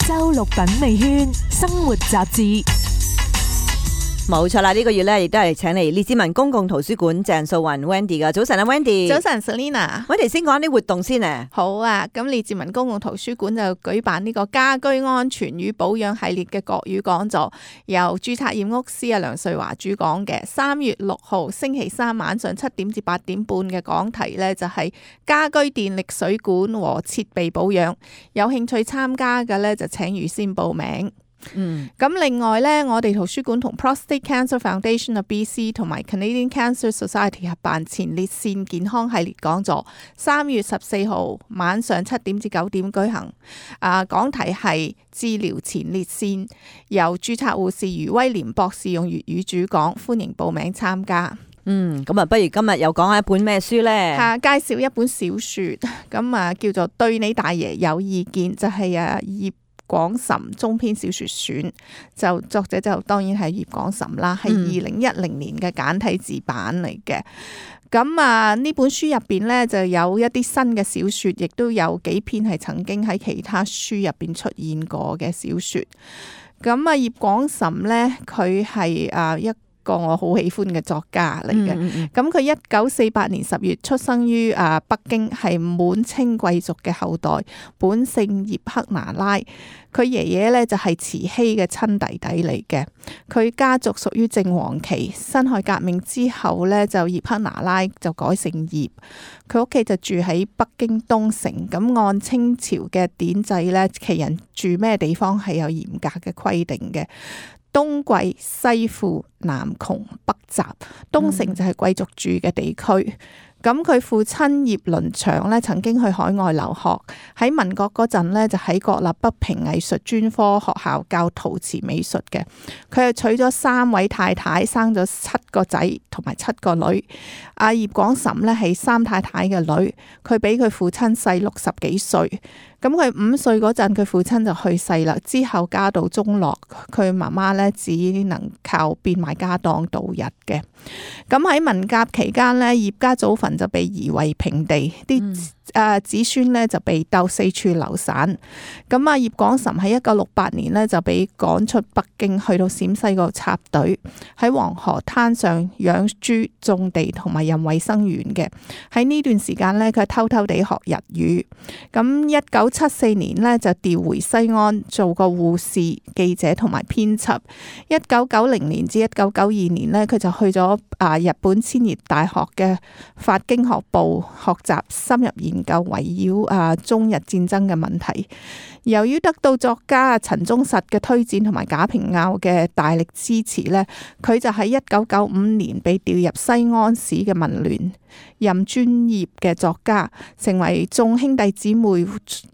周六品味圈生活雜誌。冇錯啦，呢個月咧亦都係請嚟列治文公共圖書館鄭素雲 Wendy 噶。早晨啊 Wendy。早晨 Selina。我哋先講啲活動先啊。好啊，咁列治文公共圖書館就舉辦呢個家居安全與保養系列嘅國語講座，由註冊驗屋師梁瑞華主講嘅。3月6號星期三晚上7點至8點半嘅講題呢，就係家居電力水管和設備保養。有興趣參加嘅呢，就請預先報名。咁另外呢，我哋圖書館同 Prostate Cancer Foundation of BC 同埋 Canadian Cancer Society 合辦前列腺健康系列講座，3月14號晚上7點至9點舉行。講題係治療前列腺，由註冊護士余威廉博士用粵語主講，歡迎報名參加。咁不如今日又講下一本咩書呢？介紹一本小說，咁叫做《對你大爺有意見》，就係葉廣岑中篇小說選，就作者就當然係葉廣岑啦，係2010年嘅簡體字版嚟嘅。咁呢本書入邊呢，就有一啲新嘅小說，亦都有幾篇係曾經喺其他書入邊出現過嘅小說。咁葉廣岑呢，佢係一個我好喜歡嘅作家嚟嘅。咁佢1948年10月出生於北京，係滿清貴族嘅後代，本姓葉克那拉。佢爺爺呢就係慈禧嘅親弟弟嚟嘅。佢家族屬於正黃旗，辛亥革命之後呢，就葉克那拉就改姓葉。佢屋企就住喺北京東城。咁按清朝嘅典制呢，旗人住咩地方係有嚴格嘅規定嘅。東貴西富南窮北雜，東城就係貴族住嘅地區。咁佢父親葉倫祥呢曾經去海外留學，喺民國嗰陣呢就喺國立北平藝術專科學校教陶瓷美術嘅。佢係娶咗3位太太，生咗7個仔同埋7個女。葉廣岑呢係3太太嘅女，佢比佢父親細60幾歲。咁佢5歲嗰陣，佢父親就去世啦。之後家道中落，佢媽媽呢只能靠變賣家當度日嘅。咁喺文革期間呢，葉家祖墳就被夷為平地，啲子孫呢就被鬥四處流散。咁葉廣岑喺1968年呢就被趕出北京，去到陝西嗰度插隊，喺黃河灘上養豬、種地同埋任衛生員嘅。喺呢段時間呢，佢偷偷地學日語。咁1974年呢，就調回西安做個護士、記者同埋編輯。1990年至1992年呢，佢就去咗日本千葉大學嘅法經學部學習深入研究圍繞中日戰爭嘅問題。由於得到作家陳忠實嘅推薦同埋賈平凹嘅大力支持呢，佢就喺1995年被調入西安市嘅文聯，任專業嘅作家，成為眾兄弟姊妹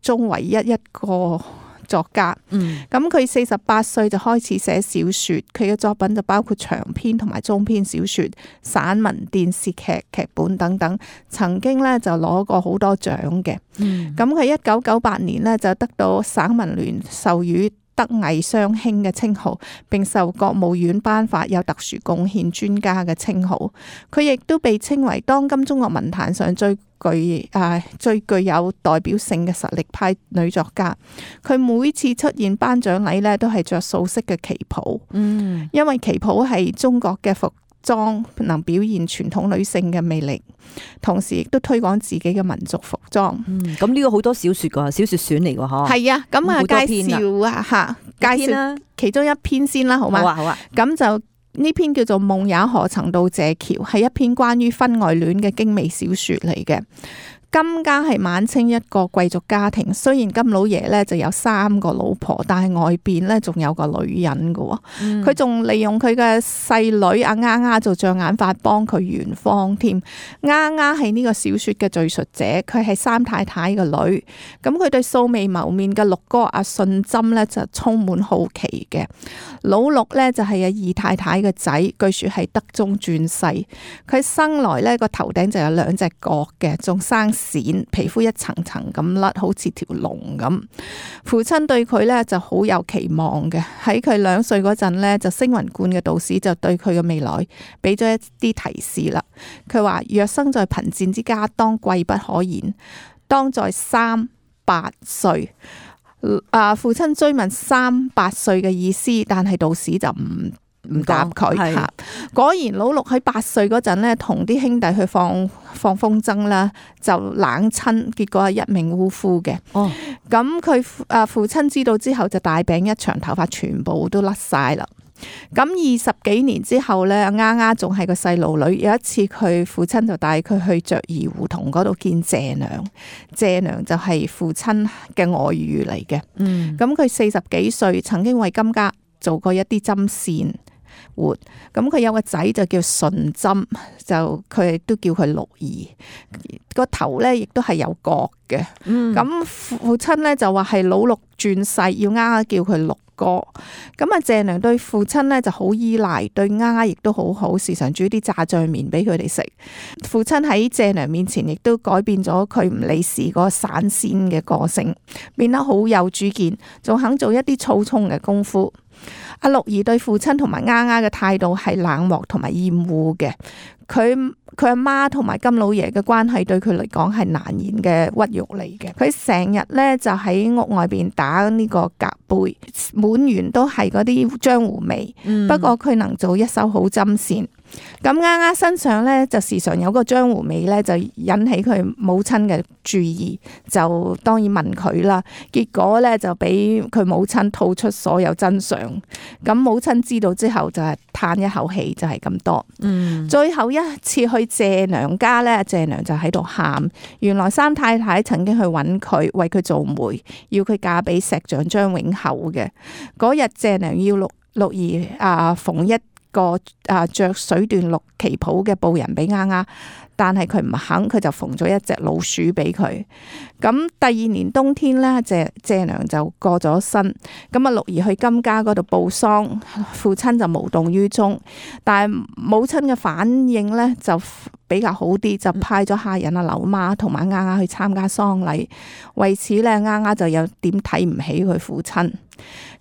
中唯一個作家。咁佢48歲就開始寫小說，佢嘅作品就包括長篇同埋中篇小說、散文、電視劇、劇本等等，曾經呢就攞過好多獎嘅。咁佢1998年呢就得到省文聯授予德藝雙馨嘅稱號，並受國務院頒發有特殊貢獻專家嘅稱號。佢亦都被稱為當今中國文壇上最具有代表性嘅實力派女作家。佢每次出現頒獎禮呢，都係着素色嘅旗袍，因為旗袍係中國嘅服裝，能表現傳統女性嘅魅力，同時亦都推廣自己嘅民族服裝。咁呢個好多小說噶，小說選嚟噶嗬。係啊，咁介紹其中一篇先啦，好嗎？好啊。咁就呢篇叫做《夢也何曾到這橋》，係一篇關於婚外戀嘅精美小說嚟嘅。金家係晚清一個貴族家庭，雖然金老爺呢就有3個老婆，但係外邊呢仲有個女人嘅。佢仲利用佢嘅細女阿丫丫做障眼法幫佢圓謊添。丫丫係呢個小說嘅敘述者，佢係3太太嘅女。咁佢對素未謀面嘅六哥阿信針呢就充滿好奇嘅。老六呢就係2太太嘅仔，據說係德宗轉世。佢生來呢個頭頂就有2隻角嘅，仲生癬，皮膚一層層咁甩，好似條龍咁。父親對佢呢就好有期望嘅，喺佢2歲嗰陣呢，就星雲觀嘅導師就對佢嘅未來俾咗一啲提示啦。佢話若生在貧賤之家，當貴不可言；當在3、8歲父親追問38歲嘅意思，但係道士就唔答佢吓。果然老六喺8歲嗰陣呢，同啲兄弟去放風箏啦，就冷親，結果係一命嗚呼嘅。咁佢父親知道之後就大病一場，頭髮全部都甩晒啦。咁20幾年之後呢，丫丫仲係個細路女。有一次佢父親就帶佢去雀兒胡同嗰度見謝娘，謝娘就係父親嘅外遇嚟嘅。咁佢40幾歲，曾經為金家做過一啲針線活。咁佢有個仔就叫順針，就佢亦都叫佢六兒，個頭呢亦都係有角嘅。咁父親呢就話係老六轉世，要丫丫叫佢六哥。咁謝娘對父親呢就好依賴，對丫丫亦都好好，時常煮啲炸醬麵俾佢哋食。父親喺謝娘面前亦都改變咗佢唔理事嗰個散仙嘅個性，變得好有主見，仲肯做一啲粗重嘅功夫。阿六兒對父親同埋丫丫嘅態度係冷漠同埋厭惡嘅。佢阿媽同埋金老爺嘅關係對佢嚟講係難言嘅屈辱嚟嘅。佢成日呢就喺屋外邊打呢個夾背，滿園都係嗰啲漿糊味。不過佢能做一手好針線。咁丫丫身上呢，就時常有個漿糊味呢，就引起佢母親嘅注意，就當然問佢啦。結果呢，就俾佢母親吐出所有真相。咁母親知道之後就係嘆一口氣，就係咁多。最後一次去謝娘家呢，謝娘就喺度喊。原來三太太曾經去揾佢，為佢做媒，要佢嫁俾石匠張永厚嘅。嗰日謝娘要六兒縫一個着水緞綠旗袍嘅布人俾丫丫，但係佢唔肯，佢就縫咗一隻老鼠俾佢。咁第2年冬天呢，謝娘就過咗身。咁六兒去金家嗰度報喪，父親就無動於衷，但係母親嘅反應呢，就比較好啲，就派咗下人柳媽同埋丫丫去參加喪禮。為此呢，丫丫就有點睇唔起佢父親。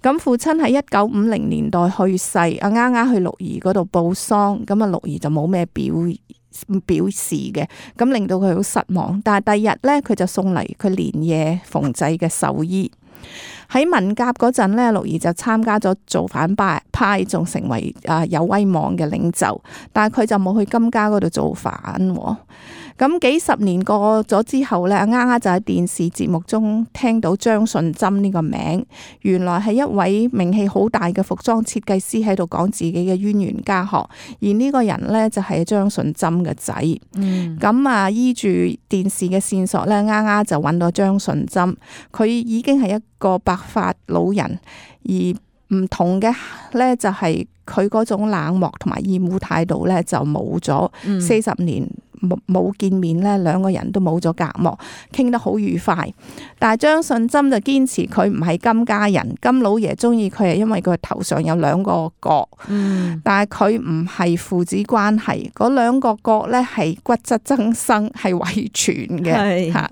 咁父親喺1950年代去世，丫丫去六兒嗰度報喪，咁六兒就冇咩表示嘅，咁令到佢好失望。但係第二日呢，佢就送嚟佢連夜縫製嘅壽衣。喺文革嗰陣呢，六兒就參加咗造反派，仲成為有威望嘅領袖，但係佢就冇去金家嗰度造反。咁幾十年過咗之後呢，丫丫就喺電視節目中聽到張順針呢個名，原來係一位名氣好大嘅服裝設計師喺度講自己嘅淵源家學，而呢個人呢，就係張順針嘅仔。咁依住電視嘅線索呢，丫丫就揾到張順針，佢已經係一個白髮老人，而唔同嘅呢，就係佢嗰種冷漠同埋厭惡態度呢，就冇咗。40年冇見面呢，兩個人都冇咗隔膜，傾得好愉快。但係張順針就堅持佢唔係金家人，金老爺中意佢係因為佢頭上有2個角，但係佢唔係父子關係，嗰2個角呢係骨質增生，係遺傳嘅吓。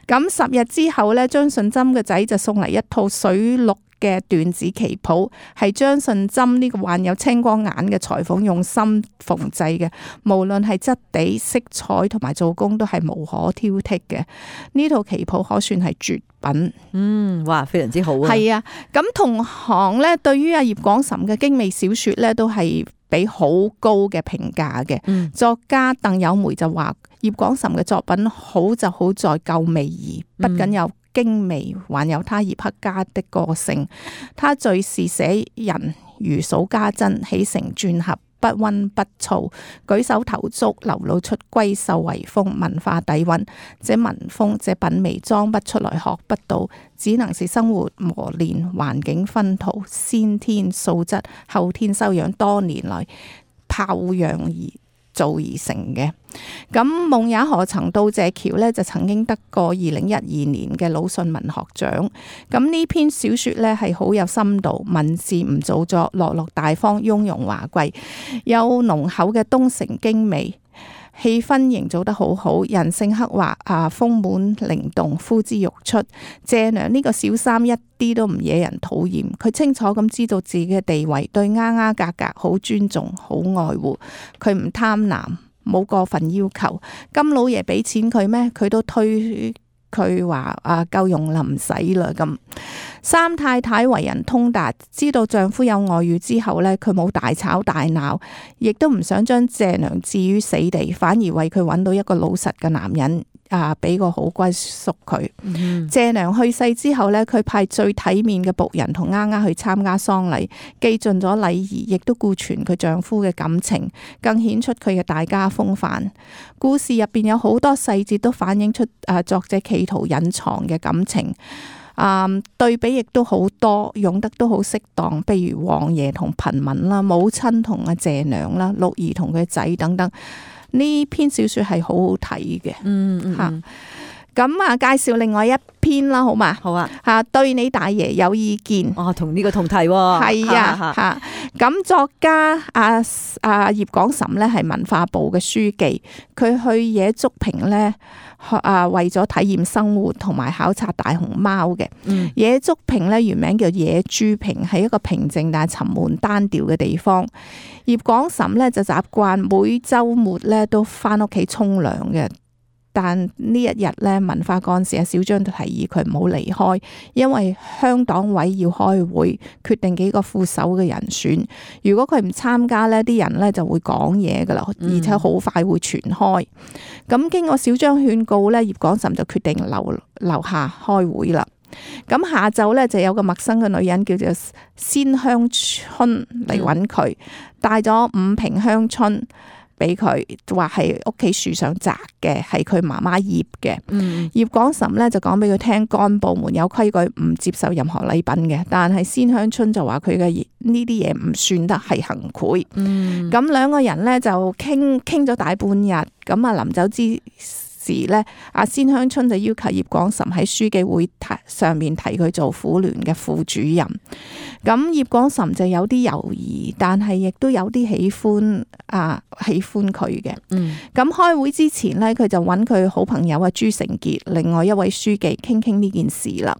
咁10日之後呢，張順針嘅仔就送嚟一套水綠嘅緞子旗袍，係張順針呢個患有青光眼嘅裁縫用心縫製嘅，無論係質地、色彩同埋做工都係無可挑剔嘅。呢套旗袍可算係絕品。哇，非常之好啊！係啊，咁同行呢，對於葉廣岑嘅精美小說呢，都係俾好高嘅評價嘅。作家鄧有梅就話葉廣岑嘅作品好就好在夠味兒，不僅有精美，還有他葉黑家的個性。他敘事寫人如數家珍，起承轉合，不溫不燥，舉手投足流露出閨秀遺風，文化底蘊。這文風，這品味裝不出來，學不到，只能是生活磨練、環境熏陶、先天素質、後天修養多年來泡養而造而成嘅。咁夢也何曾到謝橋呢，就曾經得過2012年嘅魯迅文學獎。咁呢篇小說呢，係好有深度，文字唔做作，落落大方，雍容華貴，有濃厚嘅東城京味，氣氛營造得好好，人性刻畫豐滿靈動，呼之欲出。謝娘呢個小三一啲都唔惹人討厭，佢清楚咁知道自己嘅地位，對丫丫格格好尊重，好愛護，佢唔貪婪，冇過分要求。金老爺俾錢佢咩？佢都推佢話夠用啦，唔使啦咁。三太太為人通達，知道丈夫有外遇之後呢，佢冇大吵大鬧，亦都唔想將謝娘置於死地，反而為佢揾到一個老實嘅男人。俾個好歸宿佢。謝娘去世之後呢，佢派最體面嘅僕人同丫丫去參加喪禮，既盡咗禮儀，亦都顧全佢丈夫嘅感情，更顯出佢嘅大家風範。故事入邊有好多細節都反映出作者企圖隱藏嘅感情。對比亦都好多，用得都好適當，譬如王爺同貧民啦，母親同謝娘啦，六兒同佢仔等等。呢篇小說係好好睇嘅。咁介紹另外一篇啦，好嘛？好啊。對你大爺有意見。同呢個同題喎。係啊。咁作家葉廣岑呢係文化部嘅書記，佢去野竹坪呢，為咗體驗生活同埋考察大熊貓嘅。野竹坪呢原名叫野豬坪，係一個平靜但係沉悶單調嘅地方。葉廣岑呢就習慣每週末呢都翻屋企沖涼嘅。但呢一日咧，文化幹事小張就提議佢唔好離開，因為鄉黨委要開會，決定幾個副手嘅人選。如果佢唔參加呢，啲人呢就會講嘢噶啦，而且好快會傳開。咁經過小張勸告呢，葉廣岑就決定留下開會啦。咁下晝呢，就有個陌生嘅女人叫做鮮香春嚟揾佢，帶咗5瓶香春。俾佢話係屋企樹上摘嘅，係佢媽媽醃嘅。葉廣岑呢就講俾佢聽，幹部們有規矩，唔接受任何禮品嘅。但係鮮香春就話佢嘅呢啲嘢唔算得係行賄。咁兩個人呢就傾咗大半日。咁臨走之時呢，鮮香春就要求葉廣岑喺書記會上面提佢做婦聯嘅副主任。咁葉廣岑就有啲猶豫，但係亦都有啲喜歡佢嘅。咁開會之前呢，佢就揾佢好朋友朱成傑，另外一位書記傾呢件事啦。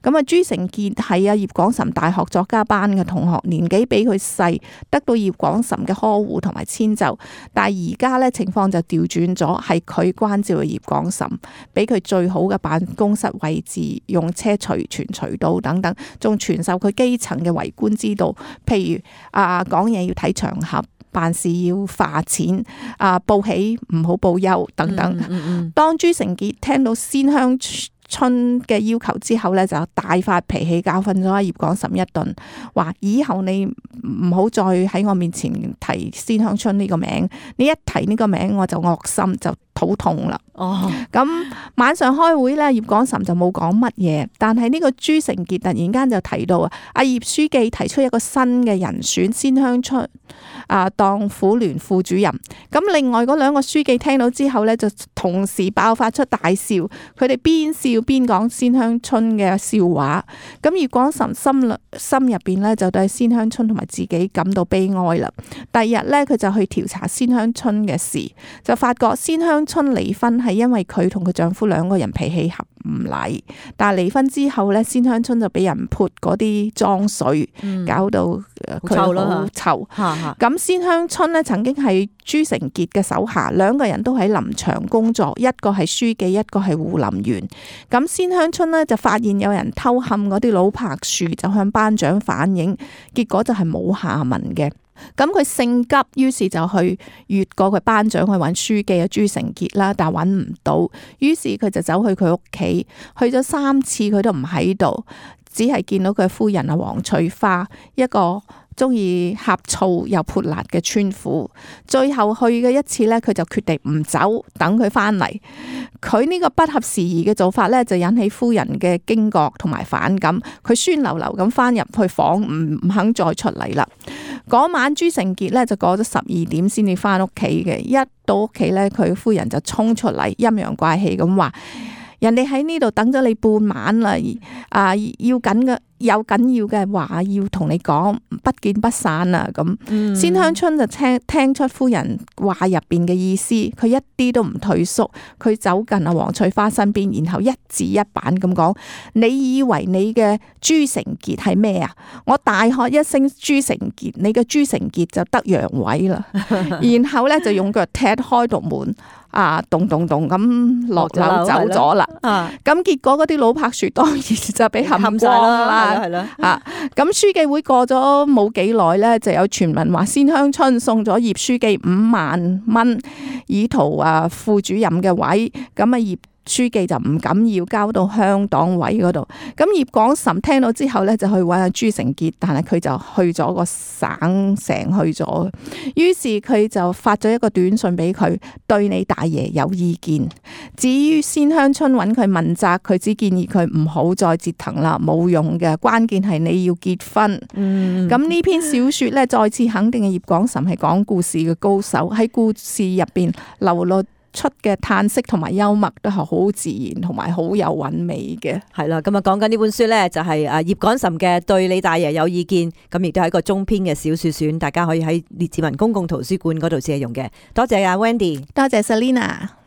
咁朱成傑係葉廣岑大學作家班嘅同學，年紀比佢細，得到葉廣岑嘅呵護同埋遷就。但係而家呢情況就調轉咗，係佢關照葉廣岑，俾佢最好嘅辦公室位置，用車隨傳隨到等等，仲傳授佢基層嘅為官之道，譬如講嘢要睇場合，辦事要化錢，報喜唔好報憂等等。當朱成傑聽到鮮香春嘅要求之後呢，就大發脾氣，教訓咗葉廣岑一頓，話以後你唔好再喺我面前提鮮香春呢個名，你一提呢個名我就惡心，就肚痛啦。咁晚上開會呢，葉廣岑就冇講乜嘢，但係呢個朱成傑突然間就提到阿葉書記提出一個新嘅人選鮮香春當婦聯副主任。咁另外嗰兩個書記聽到之後呢，就同時爆發出大笑，佢哋邊笑邊講鮮香春嘅笑話。咁葉廣岑心入邊呢，就對鮮香春同埋自己感到悲哀啦。第二日呢，佢就去調查鮮香春嘅事，就發覺鮮香春離婚係因為佢同佢丈夫兩個人脾氣合唔嚟，但係離婚之後呢，鮮香春就俾人潑嗰啲髒水，搞到佢好臭。咁鮮香春呢，曾經係朱成傑嘅手下，兩個人都喺林場工作，一個係書記，一個係護林員。咁鮮香春呢，就發現有人偷冚嗰啲老柏樹，就向班長反映，結果就係冇下文嘅。咁佢性急，於是就去越過佢班長去揾書記朱成傑啦，但係揾唔到，於是佢就走去佢屋企，去咗3次佢都唔喺度，只係見到佢夫人黃翠花，一個中意呷醋又潑辣嘅村婦。最後去嘅一次呢，佢就決定唔走，等佢翻嚟。佢呢個不合時宜嘅做法呢，就引起夫人嘅驚覺同埋反感。佢酸溜溜咁翻入去房，唔肯再出嚟啦。嗰晚朱成傑呢，就過咗12點先至翻屋企嘅，一到屋企呢，佢夫人就衝出嚟，陰陽怪氣咁話：人哋喺呢度等咗你半晚啦，有緊要嘅話要同你講，不見不散啊！咁鮮香春就聽出夫人話入邊嘅意思，佢一啲都唔退縮，佢走近黃翠花身邊，然後一字一板咁講：你以為你嘅朱成傑係咩啊？我大喝一聲朱成傑，你嘅朱成傑就得陽痿啦！然後咧就用腳踢開道門。咚咚咚咁落樓走咗啦。咁結果嗰啲老柏樹當然就俾冚光啦。係啦，咁書記會過咗冇幾耐咧，就有傳聞話先鄉村送咗葉書記5萬蚊，以圖副主任嘅位。咁葉書記就唔敢要，交到鄉黨委嗰度。咁葉廣岑聽到之後咧，就去揾阿朱成傑，但係佢就去咗個省城去咗。於是佢就發咗一個短信俾佢，對你大爺有意見。至於先鄉村揾佢問責，佢只建議佢唔好再折騰啦，冇用嘅。關鍵係你要結婚。咁呢篇小說咧，再次肯定葉廣岑係講故事嘅高手，喺故事入邊流露出嘅嘆息同埋幽默都係好自然同埋好有韻味嘅。係啦，咁講緊呢本書咧，就係葉廣岑嘅《對你大爺有意見》，咁亦都係一個中篇嘅小說選，大家可以喺列治文公共圖書館嗰度借用嘅。多謝阿 Wendy，多謝 Selina。